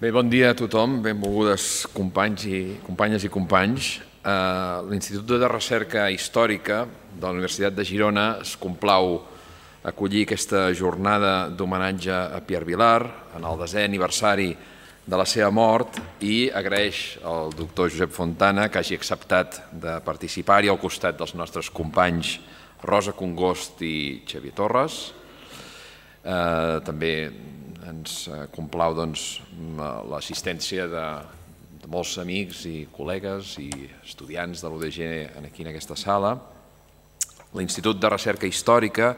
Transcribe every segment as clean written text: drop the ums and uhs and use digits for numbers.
Bé, bon dia a tothom, benvolgudes companyes i companys. L'Institut de Recerca Històrica de la Universitat de Girona es complau acollir aquesta jornada d'homenatge a Pierre Vilar en el 10è aniversari de la seva mort i agraeix al doctor Josep Fontana que hagi acceptat de participar-hi al costat dels nostres companys Rosa Congost i Xavier Torres. També ens complau l'assistència de molts amics i col·legues i estudiants de l'UDG aquí en aquesta sala. L'Institut de Recerca Històrica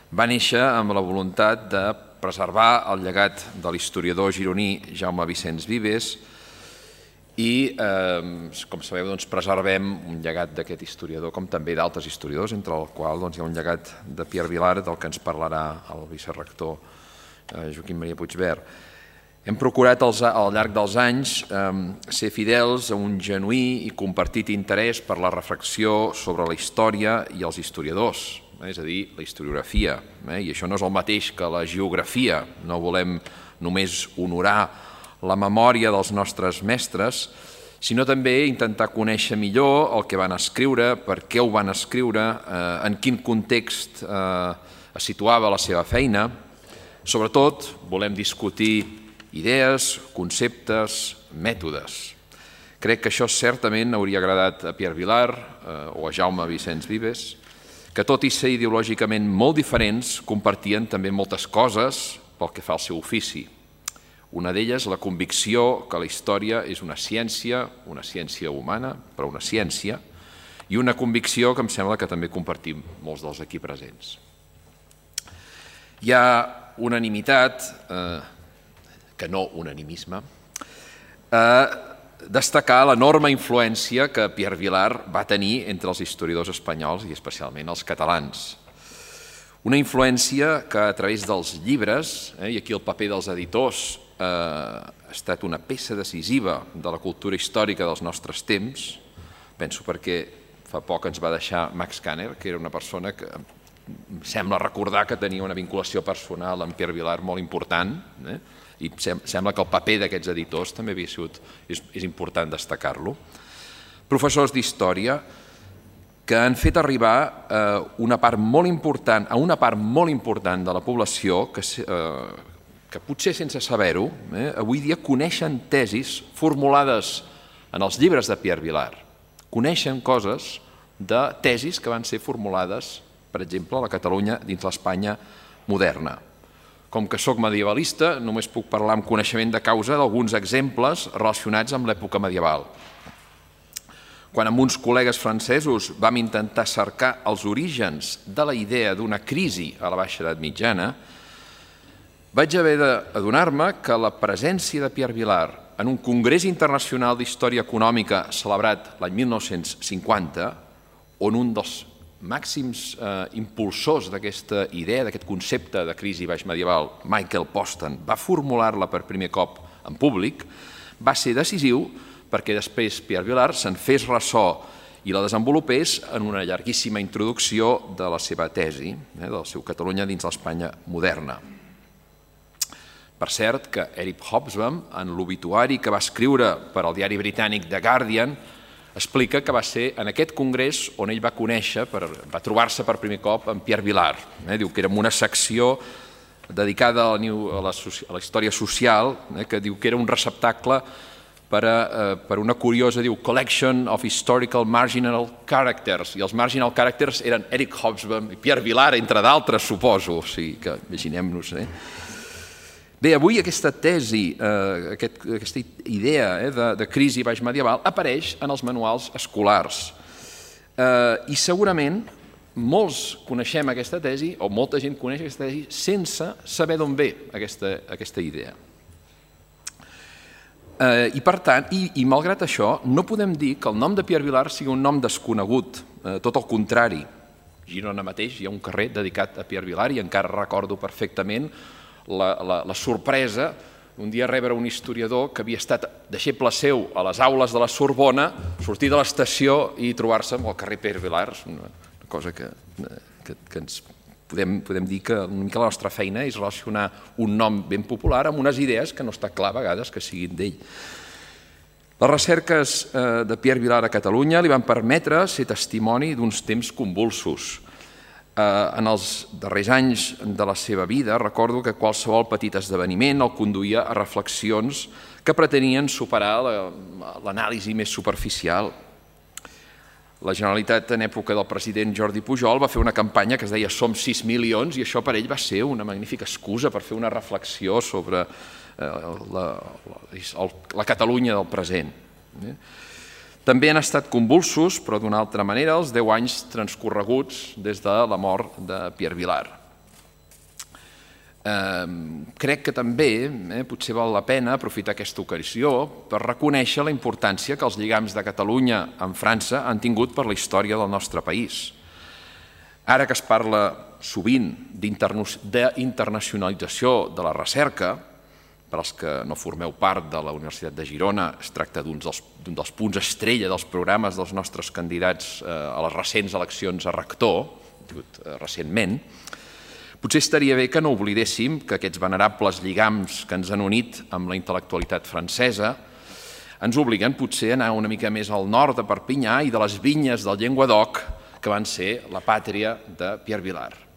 va néixer amb la voluntat de preservar el llegat de l'historiador gironí Jaume Vicenç Vives i, com sabeu, preservem un llegat d'aquest historiador com també d'altres historiadors, entre els quals hi ha un llegat de Pierre Vilar del que ens parlarà el vicerector Joaquim Maria Puigvert. Hem procurat al llarg dels anys ser fidels a un genuí i compartit interès per la reflexió sobre la història i els historiadors, és a dir, la historiografia. I això no és el mateix que la geografia. No volem només honorar la memòria dels nostres mestres, sinó també intentar conèixer millor el que van escriure, per què ho van escriure, en quin context es situava la seva feina. Sobretot, volem discutir idees, conceptes, mètodes. Crec que això certament hauria agradat a Pierre Vilar o a Jaume Vicenç Vives, que tot i ser ideològicament molt diferents, compartien també moltes coses pel que fa al seu ofici. Una d'elles, la convicció que la història és una ciència humana, però una ciència, i una convicció que em sembla que també compartim molts dels aquí presents. Hi ha unanimitat, que no unanimisme, destacar l'enorme influència que Pierre Vilar va tenir entre els historiadors espanyols i especialment els catalans. Una influència que a través dels llibres, i aquí el paper dels editors ha estat una peça decisiva de la cultura històrica dels nostres temps, penso perquè fa poc ens va deixar Max Kanner, que era una persona que em sembla recordar que tenia una vinculació personal amb Pierre Vilar molt important, i sembla que el paper d'aquests editors també havia sigut, és important destacar-lo. Professors d'història que han fet arribar a una part molt important de la població que potser sense saber-ho, avui dia coneixen tesis formulades en els llibres de Pierre Vilar. Coneixen coses de tesis que van ser formulades, per exemple, a la Catalunya dins l'Espanya moderna. Com que soc medievalista, només puc parlar amb coneixement de causa d'alguns exemples relacionats amb l'època medieval. Quan amb uns col·legues francesos vam intentar cercar els orígens de la idea d'una crisi a la Baixa Edat Mitjana, vaig haver d'adonar-me que la presència de Pierre Vilar en un Congrés Internacional d'Història Econòmica celebrat l'any 1950, on un dels màxims impulsors d'aquesta idea, d'aquest concepte de crisi baixmedieval, Michael Postan, va formular-la per primer cop en públic, va ser decisiu perquè després Pierre Vilar se'n fes ressò i la desenvolupés en una llarguíssima introducció de la seva tesi, del seu Catalunya dins l'Espanya moderna. Per cert, que Eric Hobsbawm, en l'obituari que va escriure per al diari britànic The Guardian, explica que va ser en aquest congrés on ell va conèixer, va trobar-se per primer cop amb Pierre Vilar. Diu que era una secció dedicada a la història social, que diu que era un receptacle per una curiosa, diu, collection of historical marginal characters, i els marginal characters eren Eric Hobsbawm i Pierre Vilar, entre d'altres, suposo, o sigui que imaginem-nos. Bé, avui aquesta tesi, aquesta idea de crisi baixmedieval apareix en els manuals escolars i segurament molts coneixem aquesta tesi o molta gent coneix aquesta tesi sense saber d'on ve aquesta idea. I per tant, i malgrat això, no podem dir que el nom de Pierre Vilar sigui un nom desconegut, tot el contrari. A Girona mateix hi ha un carrer dedicat a Pierre Vilar i encara recordo perfectament la sorpresa un dia rebre un historiador que havia estat deixeble seu a les aules de la Sorbona, sortir de l'estació i trobar-se amb el carrer Pierre Vilar, una cosa que ens podem dir que una mica la nostra feina és relacionar un nom ben popular amb unes idees que no està clar a vegades que siguin d'ell. Les recerques de Pierre Vilar a Catalunya li van permetre ser testimoni d'uns temps convulsos. En els darrers anys de la seva vida recordo que qualsevol petit esdeveniment el conduïa a reflexions que pretenien superar l'anàlisi més superficial. La Generalitat, en època del president Jordi Pujol, va fer una campanya que es deia Som 6 milions i això per ell va ser una magnífica excusa per fer una reflexió sobre la Catalunya del present. També han estat convulsos, però d'una altra manera, els 10 anys transcorreguts des de la mort de Pierre Vilar. Crec que també potser val la pena aprofitar aquesta ocasió per reconèixer la importància que els lligams de Catalunya amb França han tingut per la història del nostre país. Ara que es parla sovint d'internacionalització de la recerca, per als que no formeu part de la Universitat de Girona, es tracta d'un dels punts estrella dels programes dels nostres candidats a les recents eleccions a rector, recentment. Potser estaria bé que no oblidéssim que aquests venerables lligams que ens han unit amb la intel·lectualitat francesa ens obliguen potser a anar una mica més al nord de Perpinyà i de les vinyes del Llenguadoc, que van ser la pàtria de Pierre Vilar.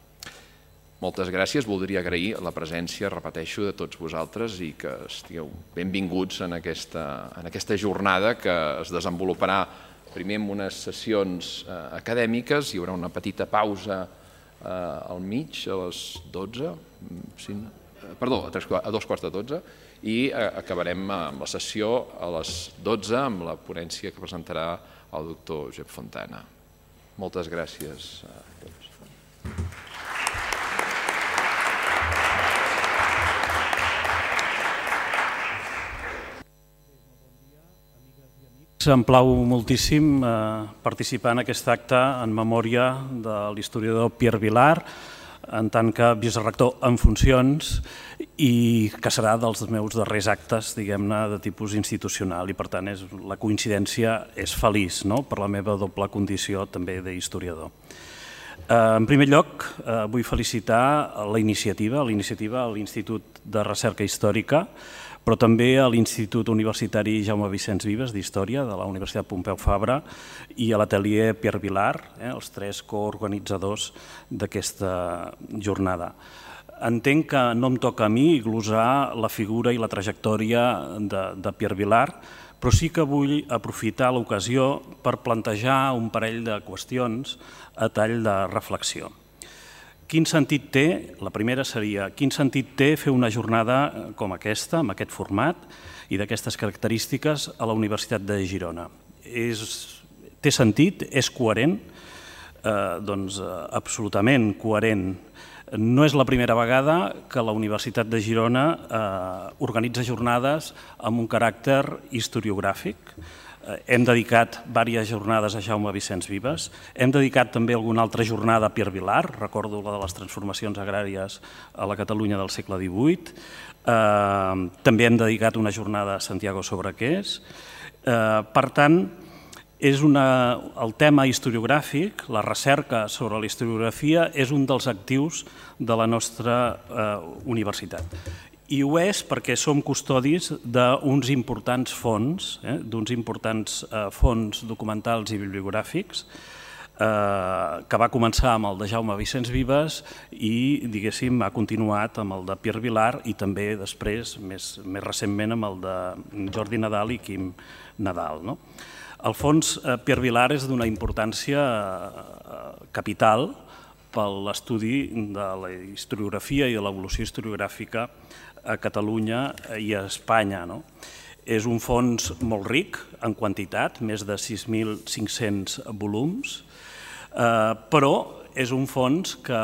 Moltes gràcies, voldria agrair la presència, repeteixo, de tots vosaltres i que estigueu benvinguts en aquesta jornada que es desenvoluparà primer amb unes sessions acadèmiques, hi haurà una petita pausa al mig, a les 12, perdó, a 2:15, i acabarem amb la sessió a les 12 amb la ponència que presentarà el doctor Josep Fontana. Moltes gràcies a tots. Em plau moltíssim participar en aquest acte en memòria de l'historiador Pierre Vilar, en tant que vicerector en funcions i que serà dels meus darrers actes, diguem-ne, de tipus institucional i, per tant, la coincidència és feliç per la meva doble condició també d'historiador. En primer lloc, vull felicitar la iniciativa a l'Institut de Recerca Històrica, però també a l'Institut Universitari Jaume Vicens Vives d'Història de la Universitat Pompeu Fabra i a l'Atelier Pierre Vilar, els tres coorganitzadors d'aquesta jornada. Entenc que no em toca a mi glosar la figura i la trajectòria de Pierre Vilar, però sí que vull aprofitar l'ocasió per plantejar un parell de qüestions a tall de reflexió. Quin sentit té, la primera seria, quin sentit té fer una jornada com aquesta, amb aquest format i d'aquestes característiques a la Universitat de Girona? Té sentit? És coherent? Doncs absolutament coherent. No és la primera vegada que la Universitat de Girona organitza jornades amb un caràcter historiogràfic. Hem dedicat diverses jornades a Jaume Vicens Vives, hem dedicat també alguna altra jornada a Pierre Vilar, recordo la de les transformacions agràries a la Catalunya del segle XVIII, també hem dedicat una jornada a Santiago Sobrequés. Per tant, el tema historiogràfic, la recerca sobre la historiografia, és un dels actius de la nostra universitat. I ho és perquè som custodis d'uns importants fons, documentals i bibliogràfics, que va començar amb el de Jaume Vicens Vives i, diguéssim, ha continuat amb el de Pierre Vilar i també després, més recentment, amb el de Jordi Nadal i Quim Nadal. El fons Pierre Vilar és d'una importància capital per l'estudi de la historiografia i de l'evolució historiogràfica a Catalunya i a Espanya. És un fons molt ric en quantitat, més de 6.500 volums, però és un fons que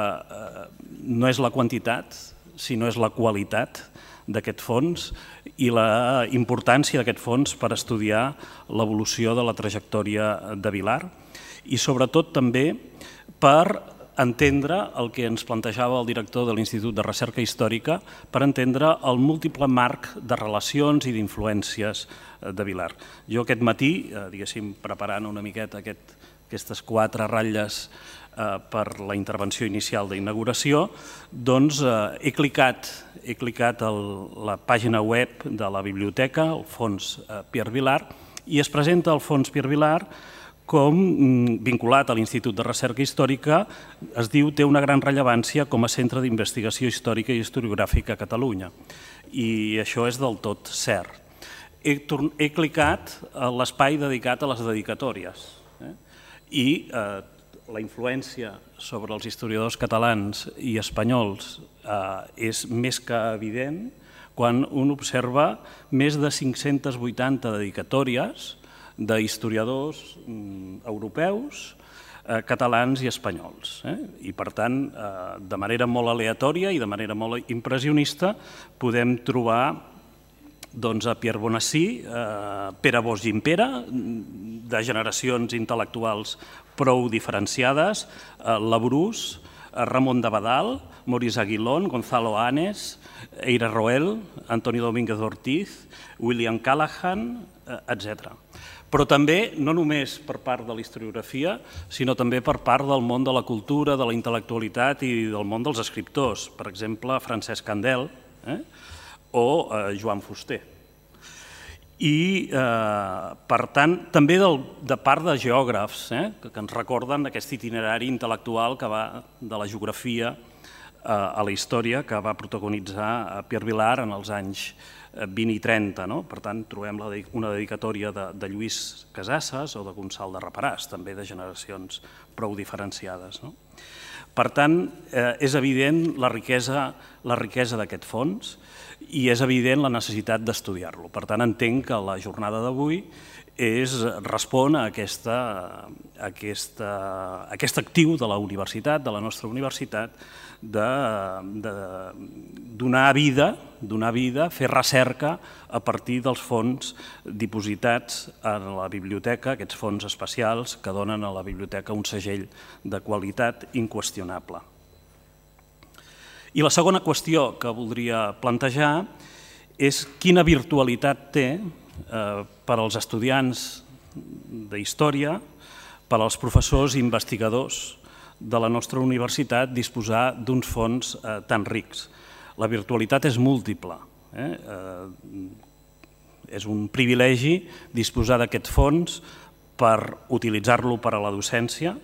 no és la quantitat, sinó és la qualitat d'aquest fons i la importància d'aquest fons per estudiar l'evolució de la trajectòria de Vilar i sobretot també per entendre el que ens plantejava el director de l'Institut de Recerca Històrica, per entendre el múltiple marc de relacions i d'influències de Vilar. Jo aquest matí, diguéssim, preparant una miqueta aquestes 4 ratlles per la intervenció inicial d'inauguració, doncs he clicat a la pàgina web de la biblioteca, el Fons Pierre Vilar, i es presenta el Fons Pierre Vilar com, vinculat a l'Institut de Recerca Històrica, es diu té una gran rellevància com a centre d'investigació històrica i historiogràfica a Catalunya. I això és del tot cert. He clicat a l'espai dedicat a les dedicatòries i la influència sobre els historiadors catalans i espanyols és més que evident quan un observa més de 580 dedicatòries d'historiadors europeus, catalans i espanyols. I, per tant, de manera molt aleatòria i de manera molt impressionista podem trobar a Pierre Bonací, Pere Bosch Gimpera, de generacions intel·lectuals prou diferenciades, Labrús, Ramon de Badal, Maurice Aguilón, Gonzalo Anes, Eira Roel, Antonio Domínguez Ortiz, William Callahan, etc. Però també, no només per part de la historiografia, sinó també per part del món de la cultura, de la intel·lectualitat i del món dels escriptors. Per exemple, Francesc Candel o Joan Fuster. I, per tant, també de part de geògrafs que ens recorden aquest itinerari intel·lectual que va de la geografia a la història que va protagonitzar Pierre Vilar en els anys 20 i 30. Per tant, trobem una dedicatòria de Lluís Casasses o de Gonçal de Reparàs, també de generacions prou diferenciades. Per tant, és evident la riquesa d'aquest fons i és evident la necessitat d'estudiar-lo. Per tant, entenc que la jornada d'avui respon a aquest actiu de la universitat, de la nostra universitat, de donar vida, fer recerca a partir dels fons dipositats a la biblioteca, aquests fons especials que donen a la biblioteca un segell de qualitat inqüestionable. I la segona qüestió que voldria plantejar és quina virtualitat té per als estudiants d'història, per als professors i investigadors de la nostra universitat disposar d'uns fons tan rics. La virtualitat és múltiple. És un privilegi disposar d'aquest fons per utilitzar-lo per a la docència,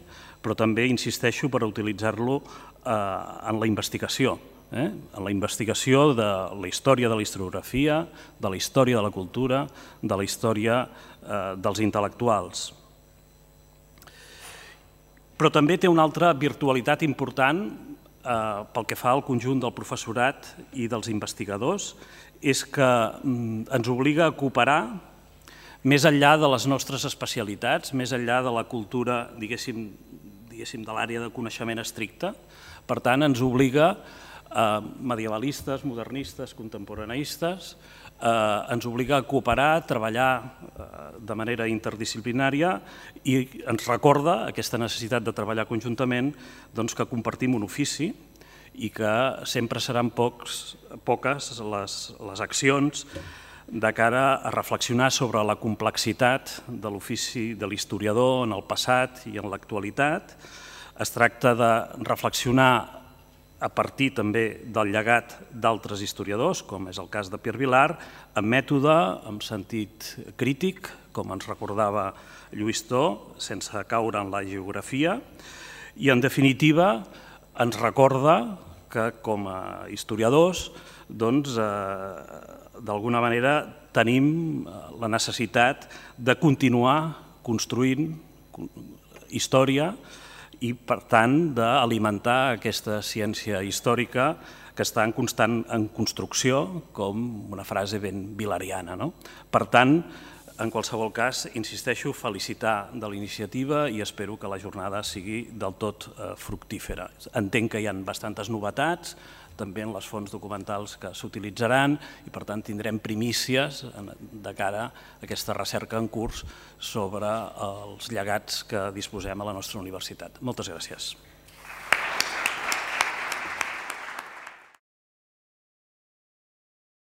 però també, insisteixo, per utilitzar-lo en la investigació. En la investigació de la història de la historiografia, de la història de la cultura, de la història dels intel·lectuals. Però també té una altra virtualitat important pel que fa al conjunt del professorat i dels investigadors, és que ens obliga a cooperar més enllà de les nostres especialitats, més enllà de la cultura, diguéssim, de l'àrea de coneixement estricte. Per tant, ens obliga a medievalistes, modernistes, contemporaneistes, ens obliga a cooperar, a treballar de manera interdisciplinària i ens recorda aquesta necessitat de treballar conjuntament que compartim un ofici i que sempre seran poques les accions de cara a reflexionar sobre la complexitat de l'ofici de l'historiador en el passat i en l'actualitat. Es tracta de reflexionar a partir també del llegat d'altres historiadors, com és el cas de Pierre Vilar, amb mètode, amb sentit crític, com ens recordava Lluís Tó, sense caure en la geografia, i en definitiva ens recorda que com a historiadors d'alguna manera tenim la necessitat de continuar construint història i, per tant, d'alimentar aquesta ciència històrica que està en constant construcció, com una frase ben vilariana. Per tant, en qualsevol cas, insisteixo, felicitar de la iniciativa i espero que la jornada sigui del tot fructífera. Entenc que hi ha bastantes novetats, també en les fonts documentals que s'utilitzaran i, per tant, tindrem primícies de cara a aquesta recerca en curs sobre els llegats que disposem a la nostra universitat. Moltes gràcies.